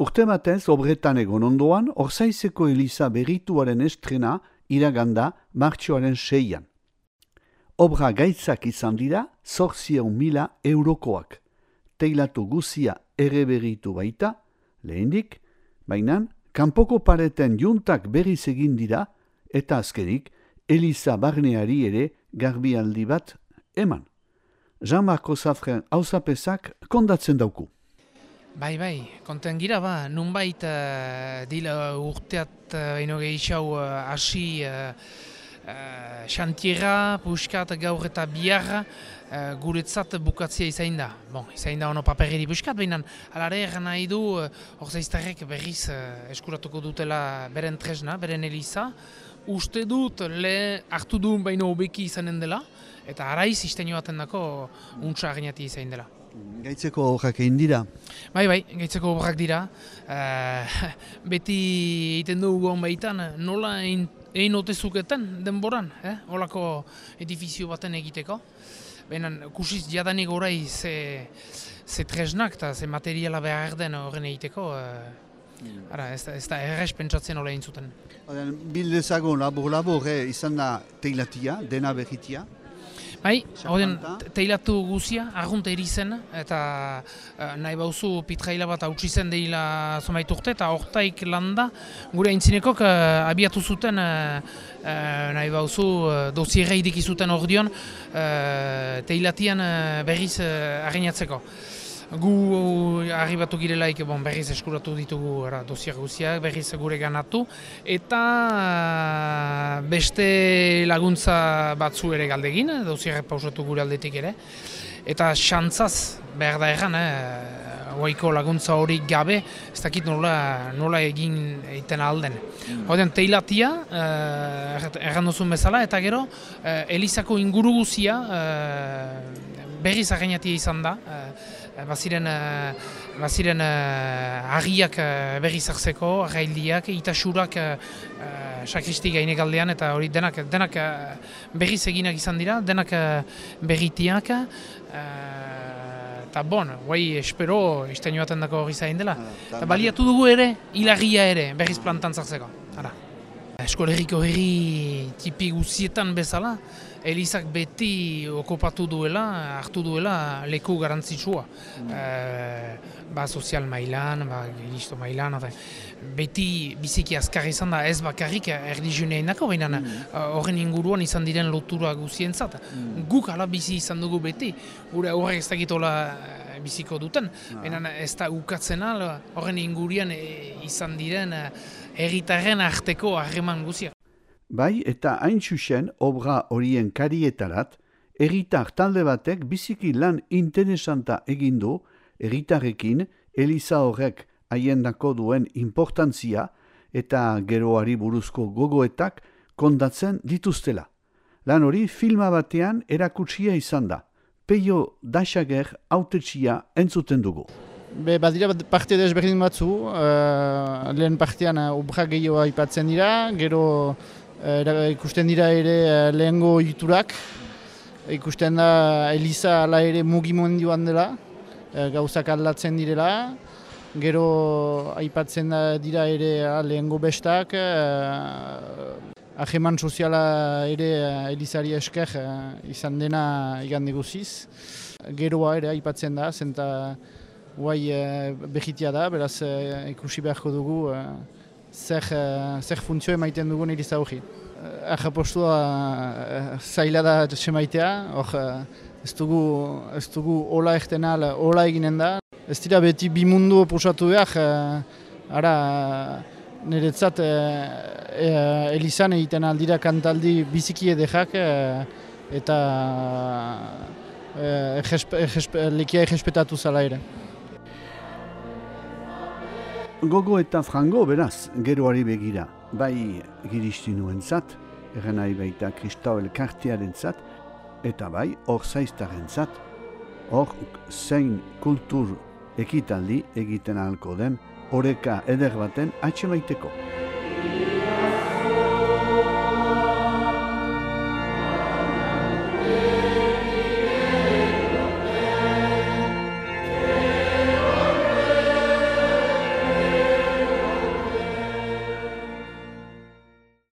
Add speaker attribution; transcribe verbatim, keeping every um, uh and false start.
Speaker 1: Urte batez, obretan egon ondoan, Orzaizeko Eliza berrituaren estrena iraganda martxoaren seian. Obra gaitzak izan dira, zortzieun mila eurokoak. Teilatu guzia ere berritu baita, lehendik, baina kanpoko pareten juntak berriz egin dira, eta azkenik, Eliza barneari ere garbialdi bat eman. Jean-Marco Zafren hauzapezak kondatzen dauku.
Speaker 2: Bai, bai, konten gira ba, nunbait uh, dila urteat uh, ino gehiago uh, hasi uh, uh, xantiera, puskat gaur eta biarra uh, guretzat bukatzea izain da. Bon, izain da ono paperiri puskat, baina alare eran nahi du uh, Orzaiztarrek berriz uh, eskuratuko dutela beren tresna, beren Eliza. Uste dut le hartu duen baino hobeki izanen dela, eta araiz istenio baten dako untsa aginati izain dela.
Speaker 1: Gaitzeko obrak egin dira?
Speaker 2: Bai, bai, gaitzeko obrak dira. Uh, beti egiten dugu hon behitan, nola egin otezuketen denboran, eh? Olako edifizio baten egiteko. Baina kusiz jadanik orai ze, ze tresnak eta ze materiala behar den horren egiteko. Uh, ara, ez da, ez da errez pentsatzen hola egin zuten.
Speaker 1: Bildezago labor-labor eh, izan da teilatia, dena berritia?
Speaker 2: Bai, horren teilatu guzia, argunta erizen, eta uh, nahi bauzu pitraila bat hautsi zen deila zomait urte, eta hortaik landa gure aintzinekok uh, abiatu zuten uh, uh, nahi bauzu uh, dosierra idiki zuten ordion uh, teilatian uh, berriz uh, arreinatzeko. Gu arribatu girelaik bon, berriz eskuratu ditugu era, dosier guziak, berriz gure ganatu, eta uh, beste laguntza batzu ere galdegin, dosierrek pausatu gure aldetik ere. Eta xantzaz behar da erran, eh, oaiko laguntza hori gabe, ez dakit nola, nola egin egiten alden. Mm. Horten, teilatia, eh, erran duzun bezala, eta gero, eh, Elizako inguru guzia eh, berriz arreinatia izan da. Eh, Baziren, uh, baziren uh, agiak uh, berriz hartzeko, arraildiak, itasurak uh, sakristi gainek aldean, eta hori denak, denak uh, berriz eginak izan dira, denak uh, berritiak. Eta uh, bon, guai espero istenio baten dako hori zain dela. Eta baliatu dugu ere, hilagia ere berriz plantan zartzeko. Eskolerriko herri tipi guzietan bezala, Elizak beti okupatu duela, hartu duela leku garantzitsua. Mm. E, ba sozial mailan, ba gilisto mailan, beti biziki azkar izan da ez bakarrik erlijioneenako, baina horren mm. inguruan izan diren lotura guzientzat. Mm. Guk ala bizi izan dugu beti, gure horrek ez dakitola biziko duten, baina ah. ez da ukatzen ala horren ingurian e, izan diren herritarren arteko harreman guziak.
Speaker 1: Bai, eta hain zuzen obra horien karietarat, herritar talde batek biziki lan interesanta egin du, herritarrekin Eliza horrek haiendako duen importantzia eta geroari buruzko gogoetak kondatzen dituztela. Lan hori filma batean erakutsia izan da. Peio Daxager hautetsia entzuten dugu.
Speaker 3: Be, badira parte desberdin batzu, uh, lehen partean uh, obra gehiago aipatzen dira, gero uh, ikusten dira ere uh, lehengo ohiturak, ikusten da Eliza ala ere mugimendioan dela, uh, gauzak aldatzen direla, gero aipatzen da dira ere uh, lehengo bestak, uh, Ajeman soziala ere uh, Elizari esker uh, izan dena igande guziz. Geroa ere aipatzen da, zenta guai uh, behitia da, beraz uh, ikusi beharko dugu uh, zer, uh, zer funtzio emaiten dugun Eliza hori. Uh, Ajapostua uh, zaila da semaitea, hor uh, ez dugu, ez dugu hola erten al, hola eginen da. Ez dira beti bi mundu posatu behar, uh, ara niretzat uh, uh, Elizan egiten aldira kantaldi biziki edekak uh, eta uh, lekia egespetatu zala ere.
Speaker 1: Gogo eta frango beraz, geroari begira, bai giristinuentzat, erren nahi baita Kristau elkartearentzat, eta bai Orzaiztarrentzat, hor zein kultur ekitaldi egiten ahalko den, oreka eder baten atxemaiteko.